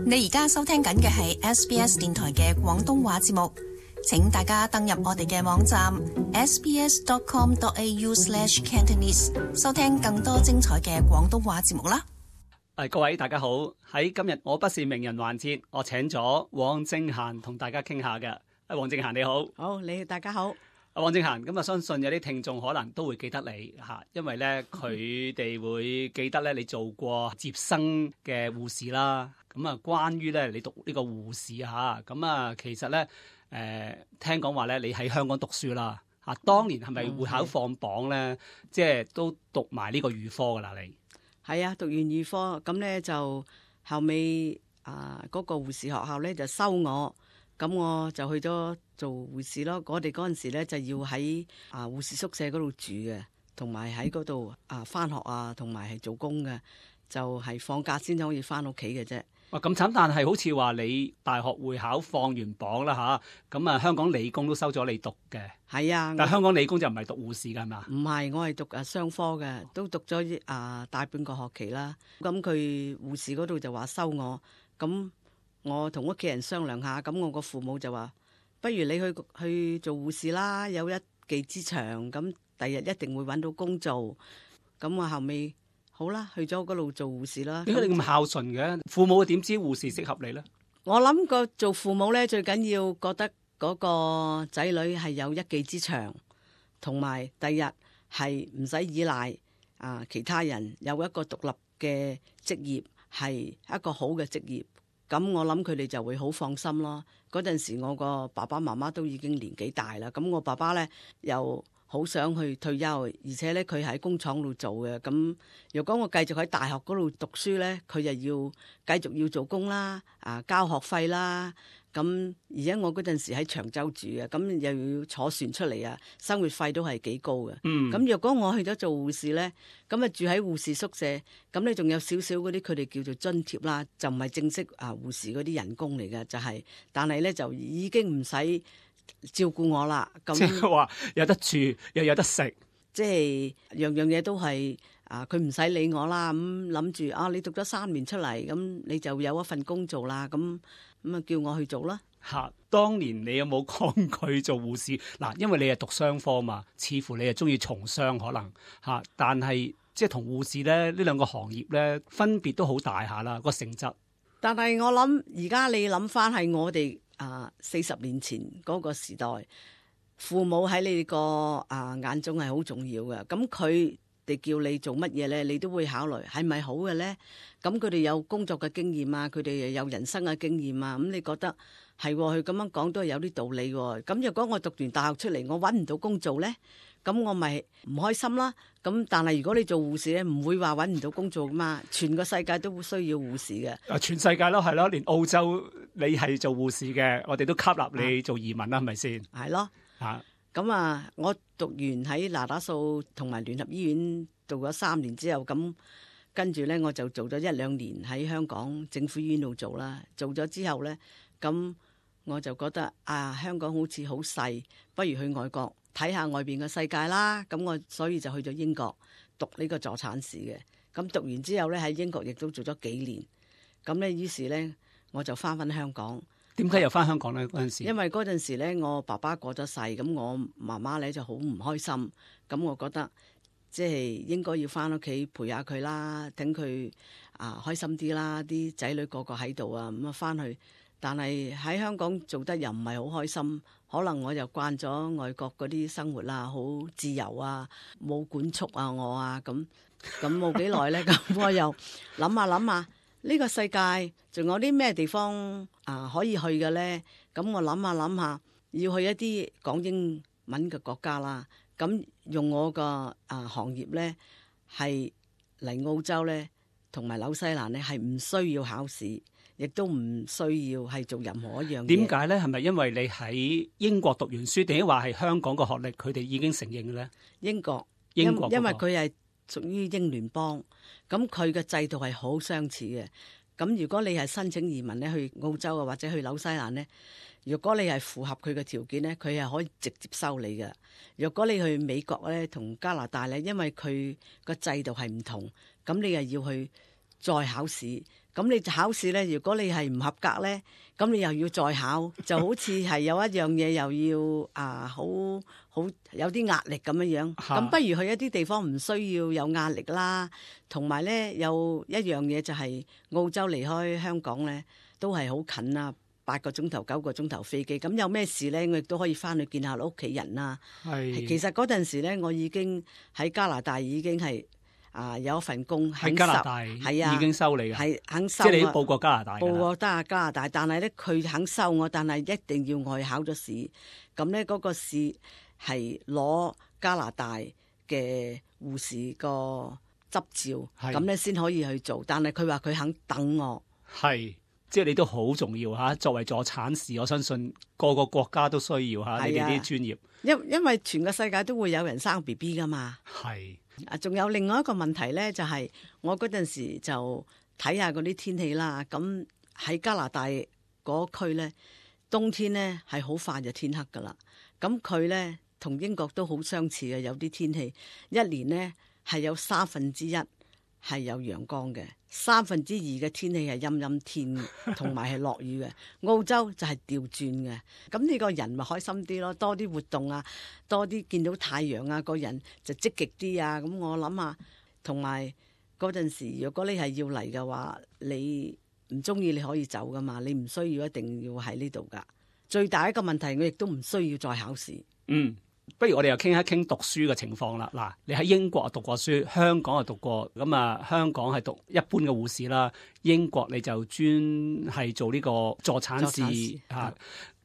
你而家收聽緊嘅係 SBS 電台嘅廣東話節目，請大家登入我哋嘅網站 sbs.com.au/cantonese 收聽更多精彩嘅廣東話節目啦。各位大家好，喺今日我不是名人環節，我請咗汪正嫻同大家傾下嘅。汪正嫻你好。好，大家好。汪正嫻，咁啊，相信有啲聽眾可能都會記得你吓，因為咧佢哋會記得咧你做過接生嘅護士啦。咁啊，關於咧你讀呢個護士吓，咁啊，其實咧聽講話咧你喺香港讀書啦吓，當年係咪會考放榜咧？即係都讀埋呢個預科噶啦，你係啊，讀完預科咁咧就後尾嗰個護士學校咧就收我。咁我就去咗做護士咯。我哋嗰陣時咧就要喺護士宿舍嗰度住嘅，同埋喺嗰度返學同埋係做工嘅，就係放假先可以返屋企嘅啫。哇，咁慘！但係好似話你大學會考放完榜啦吓，咁啊香港理工都收咗你讀嘅。係啊，但係香港理工就唔係讀護士㗎係嘛？唔係，我係讀商科嘅，都讀咗大半個學期啦。咁佢護士嗰度就話收我，咁我同屋企人商量下，咁我個父母就話：不如你去做護士啦，有一技之長，咁第日一定會揾到工做。咁我後尾好啦，去咗嗰度做護士啦。點解你咁孝順嘅？父母點知護士適合你呢？我諗個做父母呢，最緊要覺得嗰個仔女係有一技之長，同埋第日係唔使依賴其他人，有一個獨立嘅職業，係一個好嘅職業。咁我諗佢哋就會好放心咯。嗰陣時我個爸爸媽媽都已經年紀大啦，咁我爸爸呢又好想去退休，而且呢，佢喺工廠度做嘅。咁如果我繼續喺大學嗰度讀書呢，佢就要繼續要做工啦，交學費啦。咁而且我嗰陣時喺長洲住嘅，咁又要坐船出嚟生活費都係幾高嘅。咁若果我去咗做護士呢，咁住喺護士宿舍，咁你仲有少少嗰啲佢哋叫做津貼啦，就唔係正式護士嗰啲人工嚟嘅，就係，但係呢，就已經唔使照顧我啦。咁即係話有得住又有得食，即係樣樣嘢都係佢唔使理我啦。咁諗住你讀咗3年出嚟，咁你就有一份工做啦。咁叫我去做啦。當年你有冇抗拒做護士？嗱，因為你係讀商科嘛，似乎你係中意從商可能但係即係同護士咧呢兩個行業咧分別都好大下啦，個性質。但係我諗而家你諗翻係我哋40年前嗰個時代，父母喺你個眼中係好重要嘅。咁佢哋叫你做乜嘢咧，你都會考慮係咪好嘅咧？咁佢哋有工作嘅經驗佢哋又有人生嘅經驗咁你覺得係佢咁樣講都係有啲道理喎。咁若果我讀完大學出嚟，我揾唔到工做咧，咁我咪唔開心啦。咁但係如果你做護士咧，唔會話揾唔到工做噶嘛，全個世界都會需要護士嘅。全世界咯，係咯，連澳洲你係做護士嘅，我哋都吸納你做移民啦，係咪先？係咯。咁我讀完喺那打素同埋聯合醫院讀咗3年之後，咁跟住咧我就做咗1-2年喺香港政府醫院度做啦。做咗之後咧，咁我就覺得香港好似好細，不如去外國睇下外邊嘅世界啦。咁我所以就去咗英國讀呢個助產士嘅。咁讀完之後咧，喺英國亦都做咗幾年。咁咧於是咧我就翻香港。點解又翻香港咧？嗰陣時，因為嗰陣時咧，我爸爸過咗世，咁我媽媽咧就好唔開心。咁我覺得即係應該要翻屋企陪下佢啦，等佢開心啲啦。啲仔女個個喺度咁翻去。但係喺香港做得又唔係好開心，可能我又慣咗外國嗰啲生活啦，好自由冇管束我咁冇幾耐咧，咁我又諗下。呢個世界仲有啲咩地方可以去嘅呢？咁我諗下，要去一啲講英文嘅國家啦。咁用我個行業呢，係嚟澳洲呢，同埋紐西蘭呢，係唔需要考試，亦都唔需要係做任何一樣嘢。點解呢？係咪因為你喺英國讀完書，定係話係香港個學歷佢哋已經承認嘅呢？英國，因為佢係屬於英聯邦，咁佢嘅制度係好相似嘅。咁如果你係申請移民咧去澳洲或者去紐西蘭咧，如果你係符合佢嘅條件咧，佢係可以直接收你嘅。如果你去美國咧同加拿大咧，因為佢個制度係唔同，咁你又要去再考試，咁你考試咧，如果你係唔合格咧，咁你又要再考，就好似係有一樣嘢又要好有啲壓力咁樣樣。咁不如去一啲地方唔需要有壓力啦。同埋咧，有一樣嘢就係澳洲離開香港咧，都係好近啦，8個鐘頭、9個鐘頭飛機。咁有咩事咧，我亦都可以翻去見下屋企人啦。係，其實嗰陣時咧，我已經喺加拿大已經係。有一份工喺加拿大，係啊，已經收你嘅，係肯收。即係你報過加拿大，報過加拿大，但係咧佢肯收我，但係一定要我去考咗試。咁咧嗰個試係攞加拿大嘅護士個執照，咁咧先可以去做。但係佢話佢肯等我，係即係你都好重要嚇。作為助產士，我相信個個國家都需要嚇你哋啲專業。因為全個世界都會有人生 BB 噶嘛。係。仲有另外一個問題咧，就係我嗰陣時就睇下嗰啲天氣啦。咁喺加拿大嗰區咧，冬天咧係好快就天黑噶啦。咁佢咧同英國都好相似嘅，有啲天氣一年咧係有1/3係有陽光嘅，2/3嘅天氣係陰陰天，同埋係落雨嘅。澳洲就係調轉嘅，咁你個人咪開心啲咯，多啲活動啊，多啲見到太陽啊，個人就積極啲啊。咁我諗下，同埋嗰陣時，如果你係要嚟嘅話，你唔中意你可以走噶嘛，你唔需要一定要喺呢度噶。最大一個問題，我亦都唔需要再考試。不如我哋又傾一傾讀書嘅情況啦。嗱，你喺英國讀過書，香港又讀過，咁啊香港係讀一般嘅護士啦，英國你就專係做呢個助產士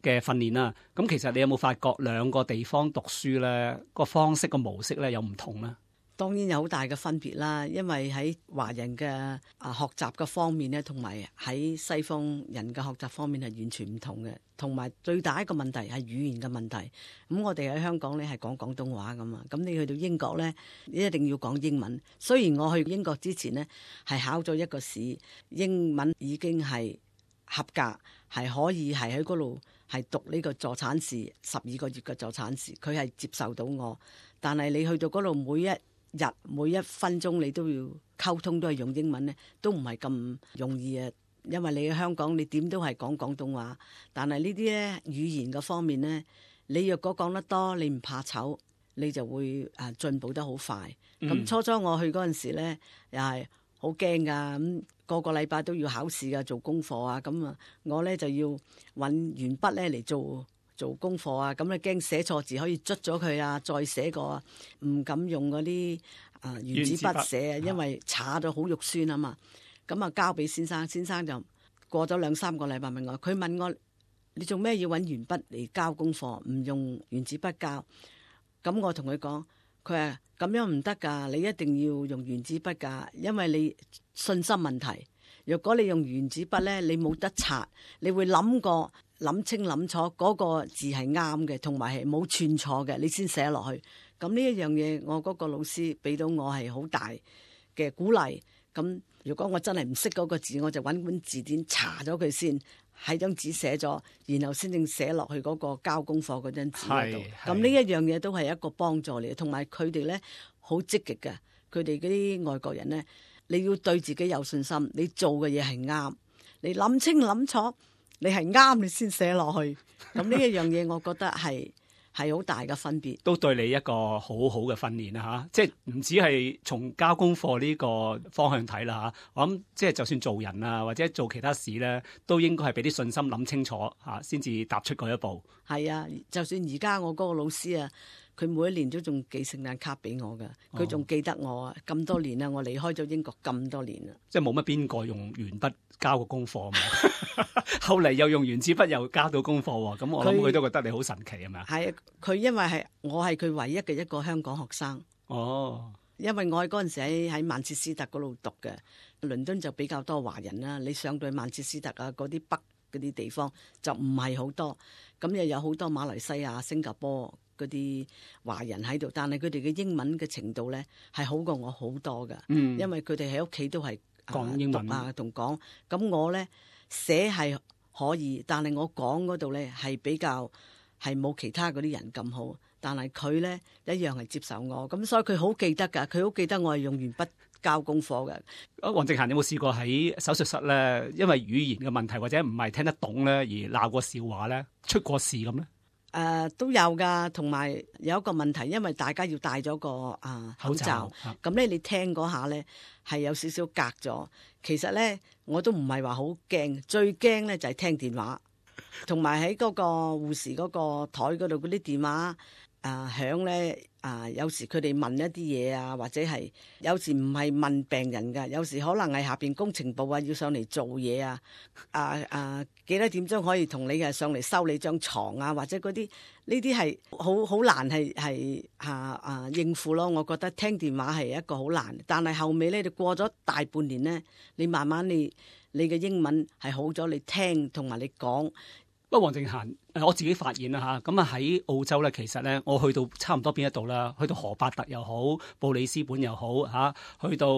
嘅訓練啦。咁其實你有冇發覺兩個地方讀書咧個方式個模式咧有唔同咧？當然有好大嘅分別啦，因為喺華人嘅學習嘅方面咧，同埋喺西方人嘅學習方面係完全唔同嘅。同埋最大一個問題係語言嘅問題。咁我哋喺香港咧係講廣東話㗎嘛，咁你去到英國咧，你一定要講英文。雖然我去英國之前呢係考咗一個試，英文已經係合格，係可以係喺嗰度係讀呢個助產士12個月嘅助產士，佢係接受到我。但係你去到嗰度每一日每一分鐘你都要溝通，都係用英文咧，都唔係咁容易啊。因為你喺香港，你點都係講廣東話，但係呢啲咧語言嘅方面咧，你若果講得多，你唔怕醜，你就會進步得好快。咁初初我去嗰陣時咧，又係好驚噶，咁個個禮拜都要考試噶，做功課啊，咁啊，我咧就要揾鉛筆咧嚟做功課啊，咁咧驚寫錯字可以捽咗佢啊，再寫過啊，唔敢用嗰啲原子筆寫啊，因為搽咗好肉酸啊嘛。咁啊交俾先生，先生就過咗2-3個禮拜問我，佢問我你做咩要揾鉛筆嚟交功課，唔用原子筆交？咁我同佢講，佢話咁樣唔得㗎，你一定要用原子筆㗎，因為你信心問題。如果你用原子筆咧，你冇得擦，你會諗清諗楚嗰個字係啱嘅，同埋係冇串錯嘅，你先寫落去。咁呢一樣嘢，我嗰個老師俾到我係好大嘅鼓勵。咁如果我真係唔識嗰個字，我就揾本字典查咗佢先，喺張紙寫咗，然後先正寫落去嗰個交功課嗰張紙嗰度。咁呢一樣嘢都係一個幫助嚟，同埋佢哋咧好積極嘅。佢哋嗰啲外國人咧，你要對自己有信心，你做嘅嘢係啱，你諗清諗楚，你係啱，你先寫落去。咁呢一樣嘢，我覺得係好大嘅分別，都對你一個好好嘅訓練啦嚇，即係唔止係從交功課呢個方向睇啦嚇，我諗即係就算做人啊或者做其他事咧，都應該係俾啲信心諗清楚嚇，先至踏出嗰一步。係啊，就算而家我嗰個老師啊，佢每一年都仲寄聖誕卡俾我噶，佢仲記得我啊，咁多年啦，我離開咗英國咁多年啦，即係冇乜邊個用鉛筆交過功課嘛。後嚟又用原子筆又交到功課喎，咁我諗佢都覺得你好神奇係咪啊？係，佢因為我係佢唯一嘅一個香港學生。哦，因為我喺嗰陣時喺曼徹斯特嗰度讀嘅，倫敦就比較多華人啦。你上到去曼徹斯特啊嗰啲北嗰啲地方就唔係好多，咁又有好多馬來西亞、新加坡嗰啲華人喺度，但係佢哋嘅英文嘅程度咧係好過我好多噶。因為佢哋喺屋企都係講英文啊同講，咁我咧寫係可以，但係我講嗰度咧係比較係冇其他嗰啲人咁好，但係佢咧一樣係接受我，咁所以佢好記得㗎，佢好記得我係用鉛筆交功課嘅。黃靜嫻有冇試過喺手術室咧，因為語言嘅問題或者唔係聽得懂咧而鬧過笑話咧，出過事咁咧？都有噶，同埋有一個問題，因為大家要戴咗個口罩，咁咧你聽嗰下咧係有少少隔咗。其實咧我都唔係話好驚，最驚咧就係聽電話，同埋喺嗰個護士嗰個台嗰度嗰啲電話響咧。有時佢哋問一啲嘢啊，或者係有時唔係問病人㗎，有時可能係下邊工程部要上嚟做嘢啊，幾多點鐘可以同你上嚟收你張床啊，或者嗰啲呢啲係好難係應付咯。我覺得聽電話係一個好難，但係後尾咧，你過咗大半年咧，你慢慢你嘅英文係好咗，你聽同埋你講。不過黃靜嫻，我自己發現啦嚇，咁喺澳洲咧，其實咧我去到差唔多邊一度啦，去到荷伯特又好，布里斯本又好去到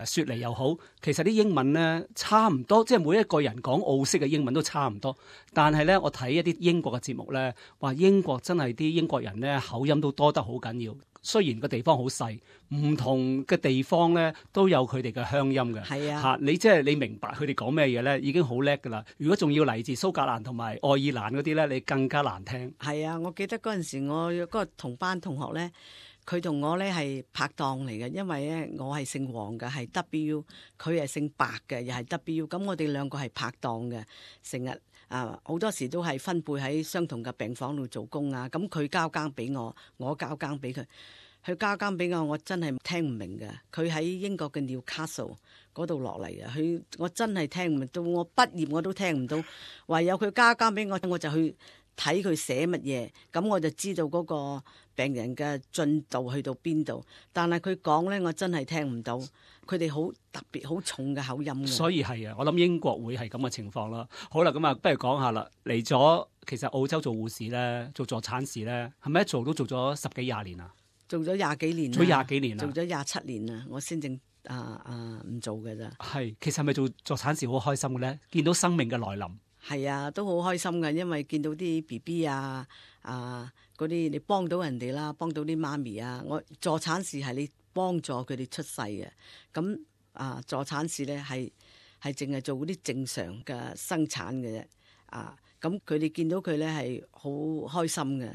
雪梨又好，其實啲英文咧差唔多，即係每一個人講澳式嘅英文都差唔多。但係咧，我睇一啲英國嘅節目咧，話英國真係啲英國人咧口音都多得好緊要。雖然個地方好細，唔同嘅地方咧都有佢哋嘅鄉音嘅。係啊，你即係你明白佢哋講咩嘢咧，已經好叻㗎啦。如果仲要嚟自蘇格蘭同埋愛爾蘭嗰啲咧，你更加難聽。係啊，我記得嗰陣時我嗰個同班同學咧，佢同我咧係拍檔嚟嘅，因為咧我係姓黃嘅，係 W， 佢係姓白嘅，又係 W， 咁我哋兩個係拍檔嘅，成日好多時都係分配喺相同嘅病房度做工啊。咁佢交更俾我，我交更俾佢。佢交更俾我，我真係聽唔明嘅。佢喺英國嘅 Newcastle 嗰度落嚟嘅，我真係聽唔明，到我畢業我都聽唔到。唯有佢交更俾我，我就去睇佢寫乜嘢，咁我就知道嗰個病人嘅進度去到邊度。但係佢講咧，我真係聽唔到。佢哋好特別好重嘅口音。所以係啊，我諗英國會係咁嘅情況啦。好啦，咁不如講下啦。嚟咗其實澳洲做護士咧，做助產士咧，係咪一做都做咗10幾20年啊？做咗廿幾年，做廿幾年啦，做咗27年啦，我先正唔做嘅咋。係，其實係咪做助產士好開心嘅咧？見到生命嘅來臨。係啊，都好開心嘅，因為見到啲 BB 嗰啲你幫到人哋啦，幫到啲媽咪啊。我助產士係你幫助佢哋出世嘅，咁助產士咧係淨係做嗰啲正常嘅生產嘅啫。咁佢哋見到佢咧係好開心嘅，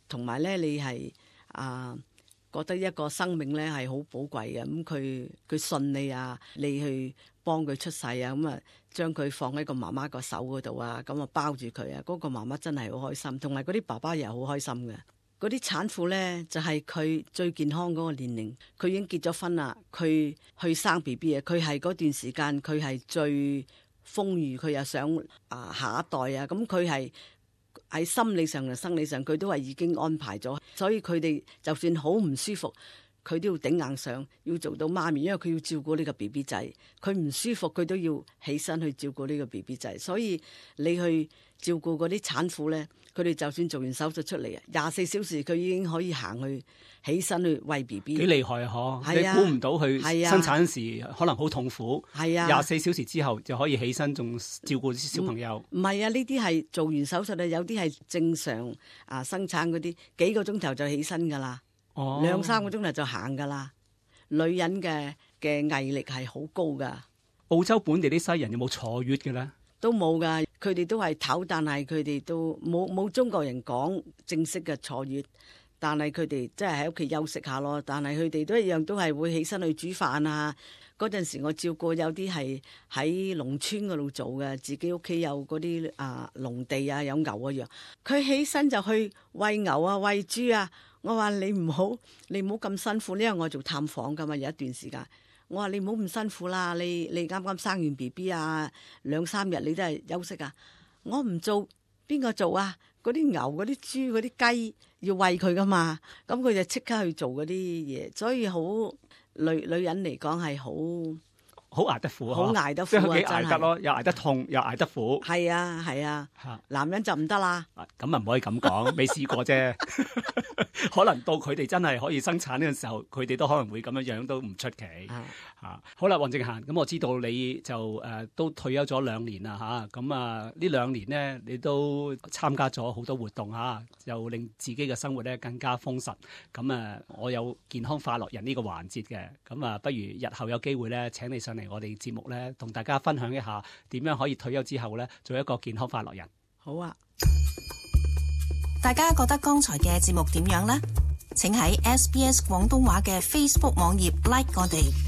同埋咧你係覺得一個生命咧係好寶貴嘅。咁佢信你啊，你去幫佢出世啊，咁將佢放喺個媽媽個手嗰度啊，咁包住佢啊，嗰個媽媽真係好開心，同埋嗰啲爸爸又好開心嘅。嗰啲產婦咧就係佢最健康嗰個年齡，佢已經結咗婚啦，佢去生 BB 啊，佢係嗰段時間佢係最豐裕，佢又想下一代啊，咁佢係喺心理上同生理上佢都係已經安排咗，所以佢哋就算好唔舒服，佢都要頂硬上，要做到媽咪，因為佢要照顧呢個 BB 仔，佢唔舒服佢都要起身去照顧呢個 BB 仔，所以你去照顧嗰啲產婦咧，佢哋就算做完手術出嚟24小時佢已經可以行去起身去餵 BB， 幾厲害啊！你估唔到佢生產時可能好痛苦，係啊，24小時之後就可以起身，仲照顧啲小朋友。唔係啊，呢啲係做完手術啊，有啲係正常生產嗰啲幾個鐘頭就起身噶啦，2-3個鐘頭就行噶啦。女人嘅毅力係好高噶。澳洲本地啲西人有冇坐月嘅咧？都冇噶，佢哋都係唞，但係佢哋都冇中國人講正式嘅坐月，但係佢哋即係喺屋企休息下咯。但係佢哋都一樣都係會起身去煮飯啊。嗰陣時我照顧有啲係喺農村嗰度做嘅，自己屋企有嗰啲農地啊，有牛啊羊，佢起身就去餵牛啊餵豬啊。我話你唔好咁辛苦，因為我做探訪噶嘛，有一段時間。我話你唔好咁辛苦啦，你啱啱生完 BB 啊，2-3日你都係休息啊。我唔做，邊個做啊？嗰啲牛、嗰啲豬、嗰啲雞要餵佢噶嘛，咁佢就即刻去做嗰啲嘢，所以好女人嚟講係好捱得苦，好捱得苦即係幾啊！捱得咯，又捱得痛，又捱得苦。係啊係啊，嚇男人就唔得啦。咁啊唔可以咁講，未試過啫。可能到佢哋真係可以生產呢個時候，佢哋都可能會咁樣都唔出奇。好啦，黃正嫻，咁我知道你就都退休咗2年啦嚇，咁呢2年呢，你都參加咗好多活動嚇，又令自己嘅生活咧更加豐實。咁我有健康快樂人呢個環節嘅，咁不如日後有機會咧請你上嚟我哋節目咧，同大家分享一下點樣可以退休之後咧做一個健康快樂人。好啊！大家覺得剛才嘅節目點樣呢？請喺SBS 廣東話嘅 Facebook 網頁 like 我哋。